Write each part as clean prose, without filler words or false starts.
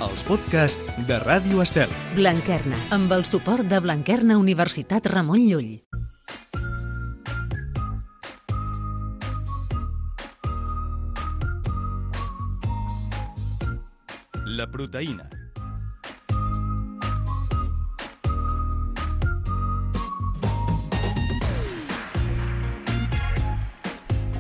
els podcasts de Ràdio Estel. Blanquerna, amb el suport de Blanquerna Universitat Ramon Llull. La proteïna.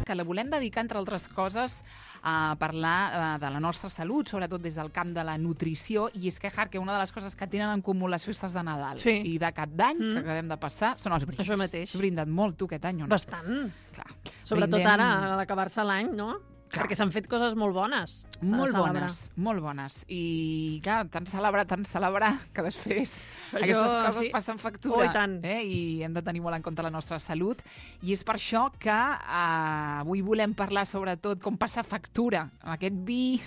Que la volem dedicar, entre altres coses, a parlar de la nostra salut, sobretot des del camp de la nutrició, i és que una de les coses que tenen en comú les festes de Nadal i de Cap d'Any, que acabem de passar, són els brindis. Això mateix. Has brindat molt, tu, aquest any, o no? Bastant. Clar. Sobretot ara, a l'acabar-se l'any, no? Clar. Perquè s'han fet coses molt bones. Molt bones. I, clar, tant celebrar, que després aquestes coses passen factura. I hem de tenir molt en compte la nostra salut. I és per això que avui volem parlar, sobretot, com passa factura amb aquest vi,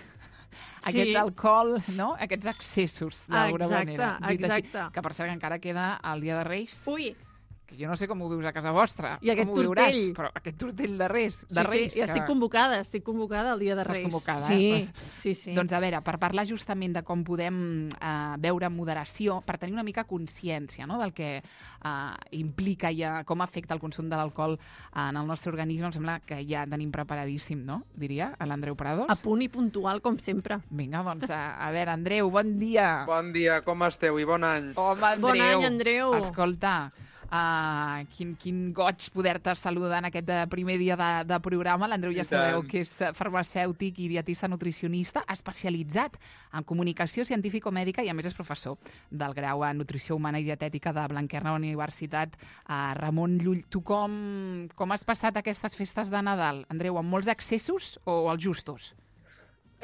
aquest alcohol, no? Aquests excessos, d'alguna manera. Exacte. Que per cert encara queda el dia de Reis. Ui! Que jo no sé com ho vius a casa vostra. I aquest com ho tortell. Viuràs, però aquest tortell de Reis. Sí, estic convocada el dia de Reis. Estàs convocada, Sí. Doncs a veure, per parlar justament de com podem beure amb moderació, per tenir una mica consciència, no?, del que implica i com afecta el consum de l'alcohol en el nostre organisme, em sembla que ja tenim preparadíssim, no?, diria, a l'Andreu Prados. A punt i puntual, com sempre. Vinga, doncs, a veure, Andreu, bon dia. Bon dia, com esteu i bon any. Home, Andreu. Bon any, Andreu. Escolta, quin goig poder-te saludar en aquest primer dia de programa. L'Andreu ja sabeu que és farmacèutic i dietista nutricionista especialitzat en comunicació científico-mèdica i a més és professor del grau en nutrició humana i dietètica de Blanquerna Universitat Ramon Llull. Tu com has passat aquestes festes de Nadal, Andreu, amb molts excessos o els justos?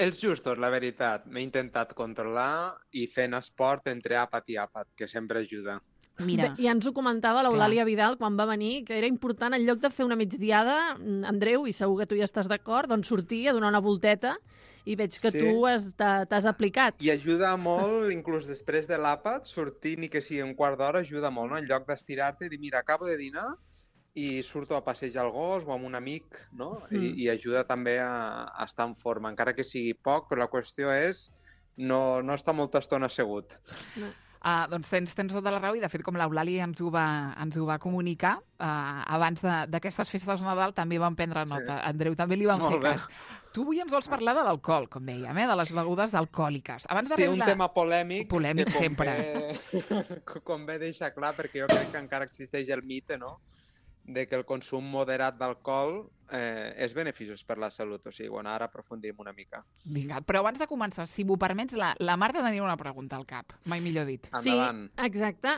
Els justos, la veritat. M'he intentat controlar i fent esport entre àpat i àpat, que sempre ajuda. Mira. Ja ens ho comentava l'Eulàlia Vidal quan va venir, que era important, en lloc de fer una migdiada, Andreu, i segur que tu hi estàs d'acord, doncs sortir a donar una volteta i veig que tu t'has aplicat. I ajuda molt, inclús després de l'àpat, sortir ni que sigui un quart d'hora ajuda molt, no? En lloc d'estirar-te i dir, mira, acabo de dinar i surto a passejar el gos o amb un amic, no? I ajuda també a estar en forma, encara que sigui poc, però la qüestió és no estar molta estona assegut. Doncs tens tota la raó i, de fet, com l'Eulàlia ens ho va comunicar, abans d'aquestes festes de Nadal també vam prendre nota. Andreu, també li vam fer cas. Tu avui ens vols parlar de l'alcohol, com dèiem, de les begudes alcohòliques. Sí, un tema polèmic. Polèmic sempre. Convé deixar clar, perquè jo crec que encara existeix el mite, no?, de que el consum moderat d'alcohol és beneficiós per la salut. O sigui, bueno, ara aprofundim una mica. Vinga, però abans de començar, si m'ho permets, la Marta tenia una pregunta al cap, mai millor dit. Endavant. Sí, exacte.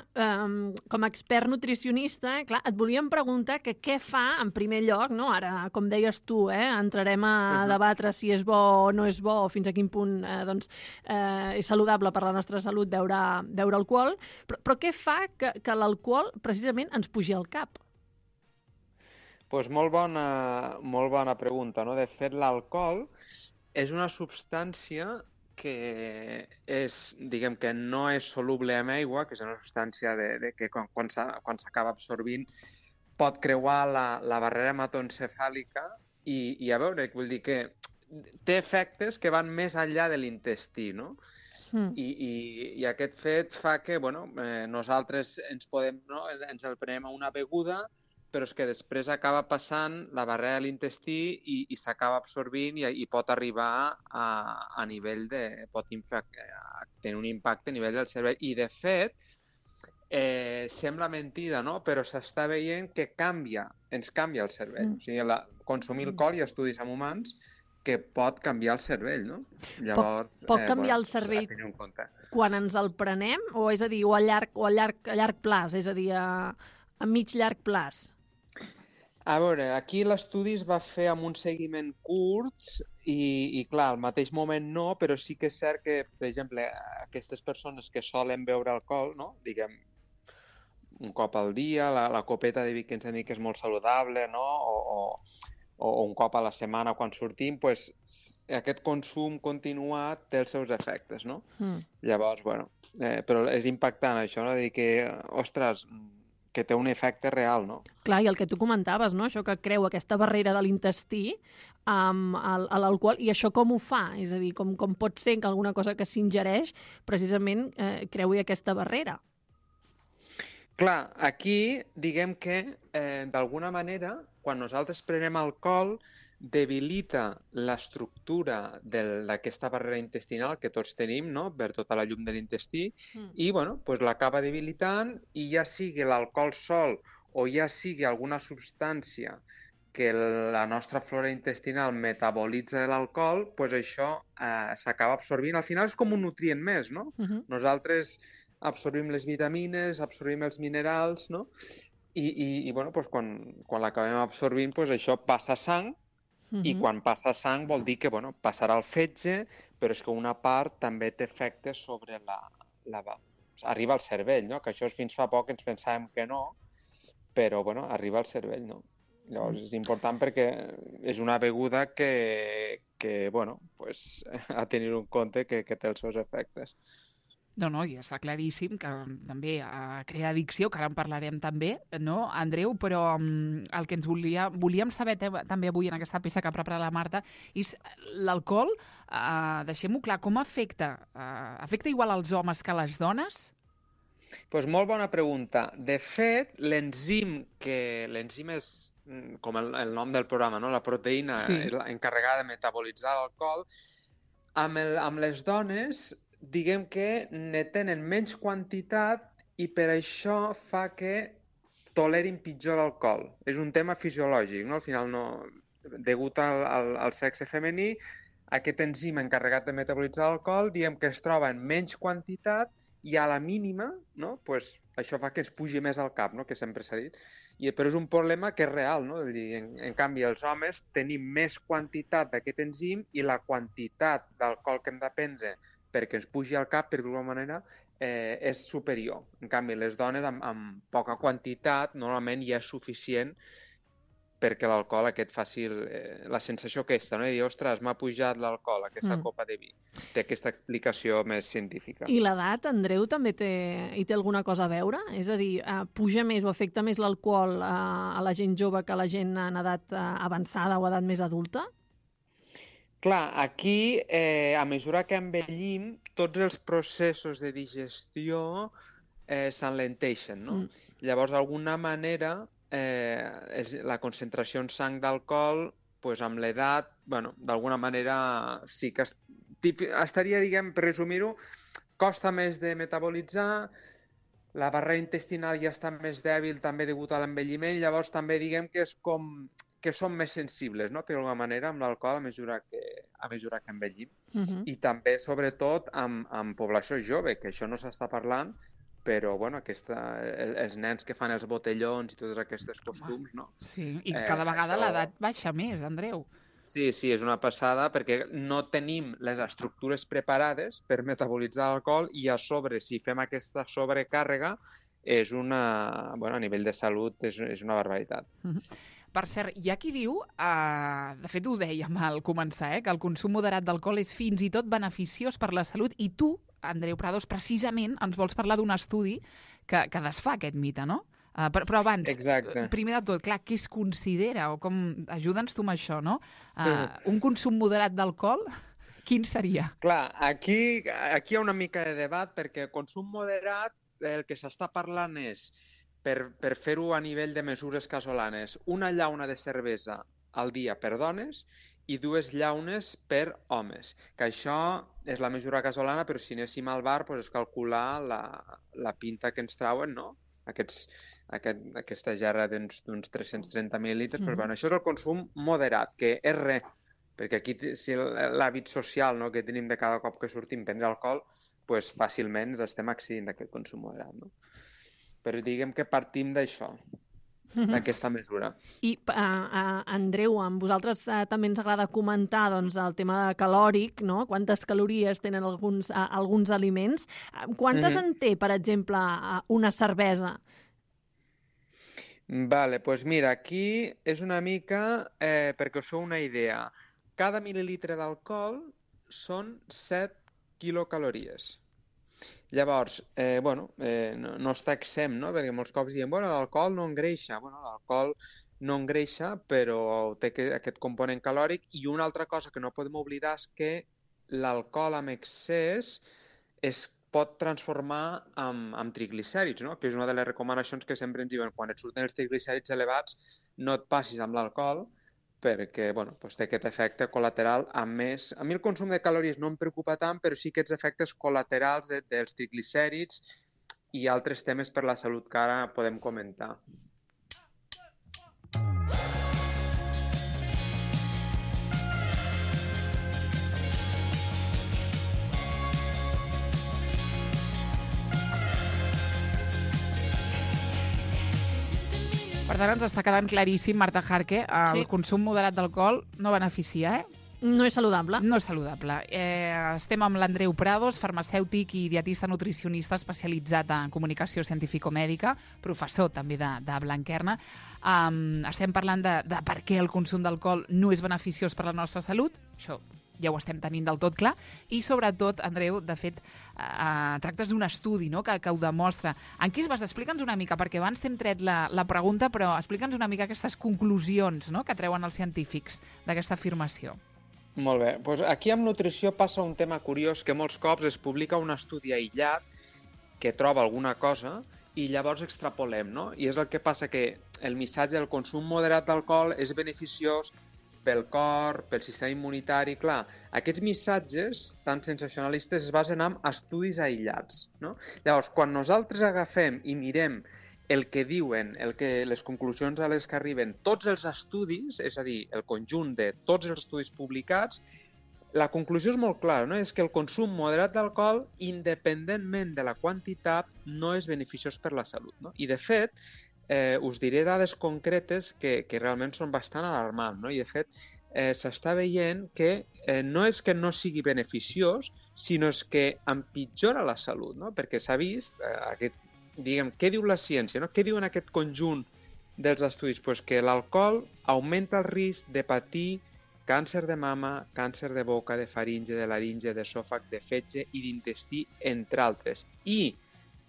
Com a expert nutricionista, clar, et volíem preguntar que què fa, en primer lloc, no? Ara, com deies tu, entrarem a debatre si és bo o no és bo, o fins a quin punt és saludable per la nostra salut beure alcohol, però què fa que l'alcohol precisament ens pugi al cap? Doncs molt bona pregunta, no? De fet, l'alcohol és una substància que diguem que no és soluble en aigua, que és una substància que quan s'acaba absorbint pot creuar la barrera hematoencefàlica i a veure, vull dir que té efectes que van més enllà de l'intestí, no? I aquest fet fa que nosaltres ens el prenem a una beguda, però és que després acaba passant la barrera de l'intestí i s'acaba absorbint i pot arribar a nivell pot tenir un impacte a nivell del cervell. I, de fet, sembla mentida, no?, però s'està veient que ens canvia el cervell. O sigui, consumir alcohol, hi ha estudis en humans que pot canviar el cervell, no? Llavors, pot canviar el cervell quan ens el prenem, o és a dir, o a llarg plaç, és a dir, a mig-llarg plaç? A veure, aquí l'estudi es va fer amb un seguiment curt i clar, al mateix moment no, però sí que és cert que, per exemple, aquestes persones que solen beure alcohol, no?, diguem, un cop al dia, la copeta de vi que ens han dit que és molt saludable, no?, o un cop a la setmana quan sortim, doncs aquest consum continuat té els seus efectes, no? Llavors, però és impactant això, no?, de dir que, ostres, que té un efecte real, no? Clar, i el que tu comentaves, no? Això que creu aquesta barrera de l'intestí a l'alcohol, i això com ho fa? És a dir, com pot ser que alguna cosa que s'ingereix precisament creui aquesta barrera? Clar, aquí diguem que d'alguna manera, quan nosaltres prenem alcohol, debilita l'estructura d'aquesta barrera intestinal que tots tenim, no?, per tota la llum de l'intestí, i bueno, pues l'acaba debilitant, i ja sigui l'alcohol sol o ja sigui alguna substància que la nostra flora intestinal metabolitza de l'alcohol, pues això s'acaba absorbint. Al final és com un nutrient més, no? Nosaltres absorbim les vitamines, absorbim els minerals, no? I bueno, pues quan l'acabem absorbint, pues això passa a sang, i quan passa a sang vol dir que bueno, passarà al fetge, però és que una part també té efectes sobre arriba al cervell, no? Que això fins fa poc ens pensàvem que no, però bueno, arriba al cervell, no? Llavors és important perquè és una beguda que bueno, pues, a tenir en compte que té els seus efectes. No, i està claríssim que també crea addicció, que ara en parlarem també, no, Andreu? Però el que ens volíem saber també avui en aquesta peça que prepara la Marta és l'alcohol, deixem-ho clar, com afecta? Afecta igual als homes que a les dones? Doncs molt bona pregunta. De fet, l'enzim és, com el nom del programa, no? La proteïna és encarregada de metabolitzar l'alcohol. Amb les dones, diguem que ne tenen menys quantitat i per això fa que tolerin pitjor l'alcohol. És un tema fisiològic, no? Al final, degut al sexe femení, aquest enzim encarregat de metabolitzar l'alcohol, diguem que es troba en menys quantitat i a la mínima, no? Pues això fa que es pugi més al cap, no? Que sempre s'ha dit. Però és un problema que és real, no? En canvi, els homes tenim més quantitat d'aquest enzim i la quantitat d'alcohol que hem de prendre perquè ens pugi al cap, per d'alguna manera, és superior. En canvi, les dones amb poca quantitat normalment ja és suficient perquè l'alcohol aquest faci la sensació aquesta, no? I dir, ostres, m'ha pujat l'alcohol, aquesta copa de vi. Té aquesta explicació més científica. I l'edat, Andreu, també hi té alguna cosa a veure? És a dir, puja més o afecta més l'alcohol a la gent jove que a la gent en edat avançada o edat més adulta? Clar, aquí, a mesura que envellim, tots els processos de digestió s'enlenteixen, no? Llavors, d'alguna manera, la concentració en sang d'alcohol, pues, amb l'edat, bueno, d'alguna manera sí que estaria, diguem, per resumir-ho, costa més de metabolitzar, la barrera intestinal ja està més dèbil també degut a l'envelliment, llavors també diguem que és com que som més sensibles, no?, per alguna manera, amb l'alcohol a mesura que envellim. I també, sobretot, amb població jove, que això no s'està parlant, però, bueno, els nens que fan els botellons i tots aquests costums, no? Sí, i cada vegada l'edat baixa més, Andreu. Sí, és una passada, perquè no tenim les estructures preparades per metabolitzar l'alcohol i a sobre, si fem aquesta sobrecàrrega, bueno, a nivell de salut és una barbaritat. Per cert, hi ha qui diu, de fet ho dèiem al començar, que el consum moderat d'alcohol és fins i tot beneficiós per la salut, i tu, Andreu Prados, precisament ens vols parlar d'un estudi que desfà aquest mite, no? Però abans, primer de tot, clar, què es considera? O ajuda'ns tu amb això, no? Un consum moderat d'alcohol, quin seria? Clar, aquí hi ha una mica de debat, perquè consum moderat el que s'està parlant és, per fer-ho a nivell de mesures casolanes, una llauna de cervesa al dia per dones i 2 llaunes per homes. Que això és la mesura casolana, però si anéssim al bar, doncs és calcular la pinta que ens trauen, no? Aquesta gerra d'uns 330 mil·lilitres, però bueno, això és el consum moderat, que és res, perquè aquí l'hàbit social, no?, que tenim de cada cop que sortim prendre alcohol, doncs fàcilment ens estem accedint d'aquest consum moderat, no? Però diguem que partim d'això, d'aquesta mesura. I, Andreu, amb vosaltres també ens agrada comentar doncs, el tema calòric, no? Quantes calories tenen alguns aliments. Quantes en té, per exemple, una cervesa? Vale, doncs mira, aquí és una mica, perquè us feu una idea, cada mil·lilitre d'alcohol són 7 quilocalories. Llavors, no està exempt, no? Perquè molts cops diem, l'alcohol no engreixa. L'alcohol no engreixa, però té aquest component calòric. I una altra cosa que no podem oblidar és que l'alcohol amb excés es pot transformar en triglicèrids, no? Que és una de les recomanacions que sempre ens diuen, quan et surten els triglicèrids elevats, no et passis amb l'alcohol, perquè té aquest efecte col·lateral. A més, a mi el consum de calories no em preocupa tant, però sí aquests efectes col·laterals dels triglicèrids i altres temes per la salut que ara podem comentar. Per tant, ens està quedant claríssim, Marta Jarque, el consum moderat d'alcohol no beneficia, No és saludable. No és saludable. Estem amb l'Andreu Prados, farmacèutic i dietista nutricionista especialitzat en comunicació científico-mèdica, professor també de Blanquerna. Estem parlant de per què el consum d'alcohol no és beneficiós per a la nostra salut. Això ja ho estem tenint del tot clar, i sobretot, Andreu, de fet, tractes d'un estudi, no?, que ho demostra. En què es basa? Explica'ns una mica, perquè abans t'hem tret la pregunta, però explica'ns una mica aquestes conclusions, no?, que treuen els científics d'aquesta afirmació. Molt bé. Doncs aquí amb nutrició passa un tema curiós, que molts cops es publica un estudi aïllat que troba alguna cosa i llavors extrapolem, no? I és el que passa, que el missatge del consum moderat d'alcohol és beneficiós pel cor, pel sistema immunitari. Clar, aquests missatges tan sensacionalistes es basen en estudis aïllats, no? Llavors, quan nosaltres agafem i mirem el que diuen, les conclusions a les que arriben tots els estudis, és a dir, el conjunt de tots els estudis publicats, la conclusió és molt clara, no? És que el consum moderat d'alcohol, independentment de la quantitat, no és beneficiós per la salut, no? I, de fet, us diré dades concretes que realment són bastant alarmants, no? I, de fet, s'està veient que no és que no sigui beneficiós, sinó que empitjora la salut, no? Perquè s'ha vist, què diu la ciència, no? Què diuen aquest conjunt dels estudis? Pues que l'alcohol augmenta el risc de patir càncer de mama, càncer de boca, de faringe, de laringe, d'esòfag, de fetge i d'intestí, entre altres. I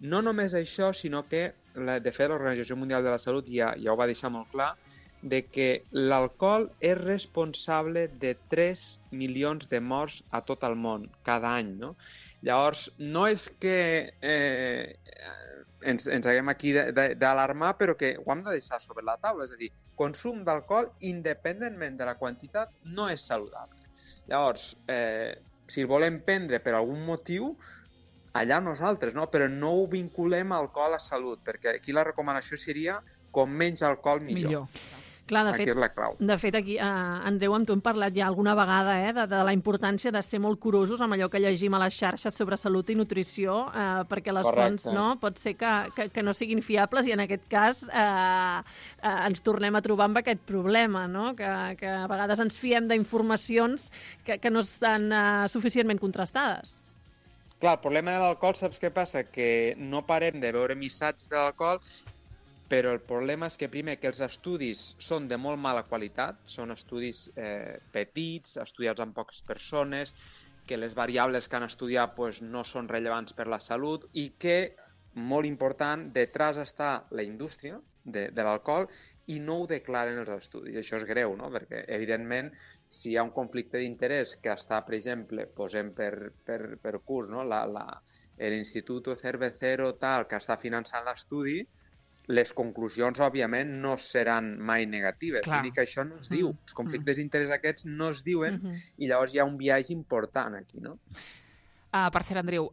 no només això, sinó que, de fet, l'Organització Mundial de la Salut ja ho va deixar molt clar, de que l'alcohol és responsable de 3 milions de morts a tot el món cada any, no? Llavors, no és que ens haguem aquí d'alarmar, però que ho hem de deixar sobre la taula. És a dir, consum d'alcohol, independentment de la quantitat, no és saludable. Llavors, si el volem prendre per algun motiu, allà nosaltres, no? Però no ho vinculem a alcohol a salut, perquè aquí la recomanació seria com menys alcohol millor. Clar, aquí és la clau. De fet, aquí, Andreu, amb tu hem parlat ja alguna vegada de la importància de ser molt curosos amb allò que llegim a les xarxes sobre salut i nutrició, perquè les fonts pot ser que no siguin fiables, i en aquest cas ens tornem a trobar amb aquest problema, no? Que a vegades ens fiem d'informacions que no estan suficientment contrastades. Clar, el problema de l'alcohol, saps què passa? Que no parem de veure missatges de l'alcohol, però el problema és que, primer, que els estudis són de molt mala qualitat, són estudis petits, estudiats amb poques persones, que les variables que han estudiat no són rellevants per la salut i que, molt important, detrás està la indústria de l'alcohol i no ho declaren els estudis. Això és greu, no? Perquè, evidentment, si hi ha un conflicte d'interès que està, per exemple, posem per curs, no? l'Instituto Cervecero tal, que està finançant l'estudi, les conclusions, òbviament, no seran mai negatives. Vull dir que això no es diu. Els conflictes d'interès aquests no es diuen i llavors hi ha un biaix important aquí, no? Per cert, Andreu,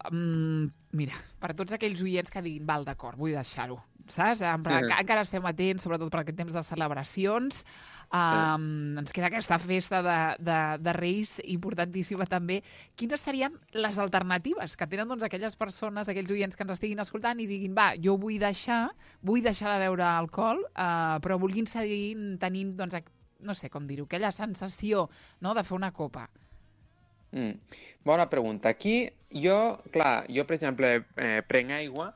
mira, per tots aquells oients que diguin, val, d'acord, vull deixar-ho, saps? Encara estem atents, sobretot per aquest temps de celebracions. Ens queda aquesta festa de Reis importantíssima també. Quines serien les alternatives que tenen aquelles persones, aquells oients que ens estiguin escoltant i diguin, va, jo vull deixar de beure alcohol, però vulguin seguir tenint, no sé com dir-ho, aquella sensació, no?, de fer una copa? Bona pregunta. Aquí jo, per exemple, prenc aigua,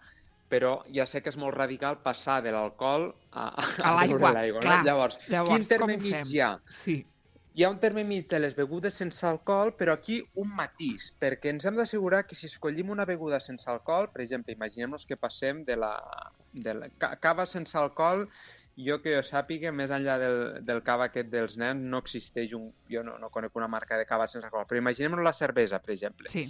però ja sé que és molt radical passar de l'alcohol a beure l'aigua. No? Llavors, quin terme mig hi ha? Sí. Hi ha un terme mig de les begudes sense alcohol, però aquí un matís, perquè ens hem d'assegurar que si escollim una beguda sense alcohol, per exemple, imaginem-nos que passem de la cava sense alcohol, jo que jo sàpiga, més enllà del cava aquest dels nens, no existeix jo no conec una marca de cava sense alcohol, però imaginem-nos la cervesa, per exemple. Sí.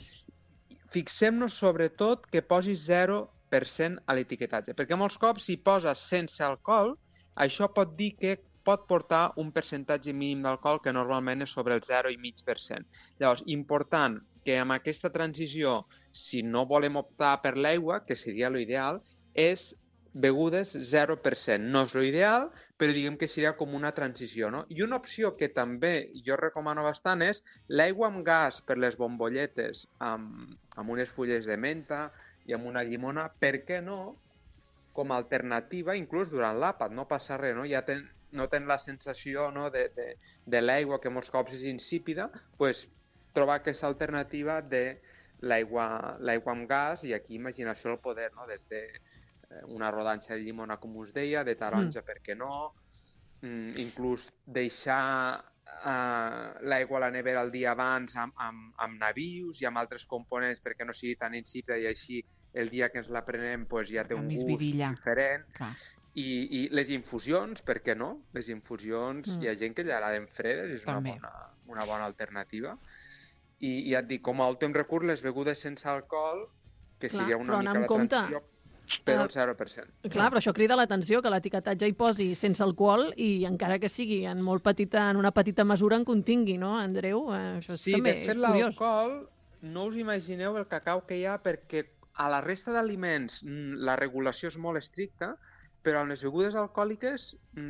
Fixem-nos sobretot que posi 0% a l'etiquetatge, perquè molts cops si poses sense alcohol, això pot dir que pot portar un percentatge mínim d'alcohol que normalment és sobre el 0,5%. Llavors, important que amb aquesta transició, si no volem optar per l'aigua, que seria l'ideal, és begudes 0%. No és l'ideal, però diguem que seria com una transició, no? I una opció que també jo recomano bastant és l'aigua amb gas per les bombolletes amb unes fulles de menta i amb una llimona, per què no? Com a alternativa, inclús durant l'àpat, no passa res, no? Ja no tenen la sensació de l'aigua, que molts cops és insípida, doncs trobar aquesta alternativa de l'aigua amb gas, i aquí imaginació el poder, no? Des de una rodanxa de llimona, com us deia, de taronja, per què no? Inclús deixar l'aigua a la nevera el dia abans amb nabius i amb altres components perquè no sigui tan insípida, i així el dia que ens la prenem ja té un gust diferent. Clar. I les infusions, per què no? Les infusions, hi ha gent que li agraden fredes, és una bona alternativa. I ja et dic, com a últim recurs, les begudes sense alcohol, que seria una mica la transició, però el 0%. Clar, però això crida l'atenció, que l'etiquetatge hi posi sense alcohol i encara que sigui en una petita mesura en contingui, no, Andreu? Això també és curiós. Sí, de fet, l'alcohol, no us imagineu el cacau que hi ha, perquè a la resta d'aliments la regulació és molt estricta, però amb les begudes alcohòliques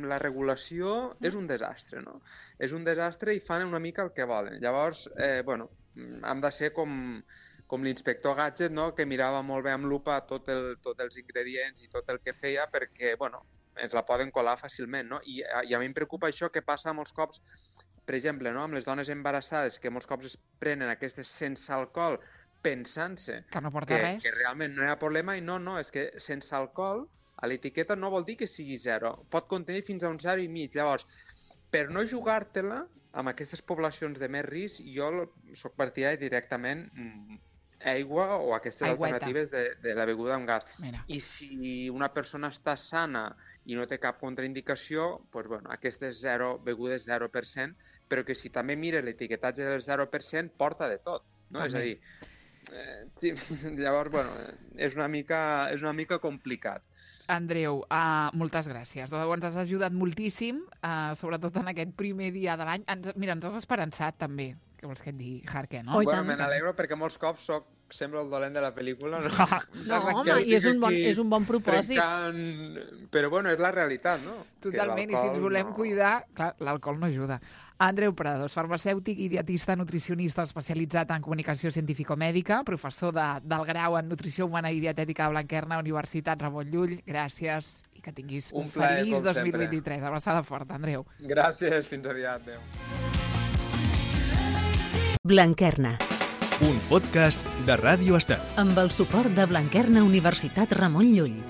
la regulació és un desastre, no? És un desastre i fan una mica el que volen. Llavors, hem de ser com l'inspector Gadget, no? Que mirava molt bé amb lupa tots els ingredients i tot el que feia perquè, ens la poden colar fàcilment, no? I a mi em preocupa això que passa molts cops, per exemple, no? Amb les dones embarassades, que molts cops es prenen aquestes sense alcohol pensant-se que no porta res, que realment no hi ha problema, i no, és que sense alcohol a l'etiqueta no vol dir que sigui 0, pot contenir fins a un 0,5. Llavors, per no jugar-te-la amb aquestes poblacions de més risc, jo soc partidari directament aigua o aquestes alternatives de la beguda amb gas. Mira. I si una persona està sana i no té cap contraindicació, doncs, aquestes begudes 0%, però que si també mires l'etiquetatge del 0%, porta de tot, no? És a dir, sí, llavors, és una mica complicat. Andreu, moltes gràcies. De debò ens has ajudat moltíssim, sobretot en aquest primer dia de l'any. Mira, ens has esperançat també. Què vols que et digui, Jarque, no? Me n'alegro perquè molts cops sembla el dolent de la pel·lícula. No, home, i és un bon propòsit. Però, és la realitat, no? Totalment, i si ens volem cuidar, clar, l'alcohol no ajuda. Andreu Prados, farmacèutic i dietista nutricionista especialitzat en comunicació científico-mèdica, professor del grau en nutrició humana i dietètica de Blanquerna, Universitat Ramon Llull. Gràcies i que tinguis un feliç 2023. Abraçada forta, Andreu. Gràcies, fins aviat. Adéu. Blanquerna. Un podcast de Ràdio Estel. Amb el suport de Blanquerna Universitat Ramon Llull.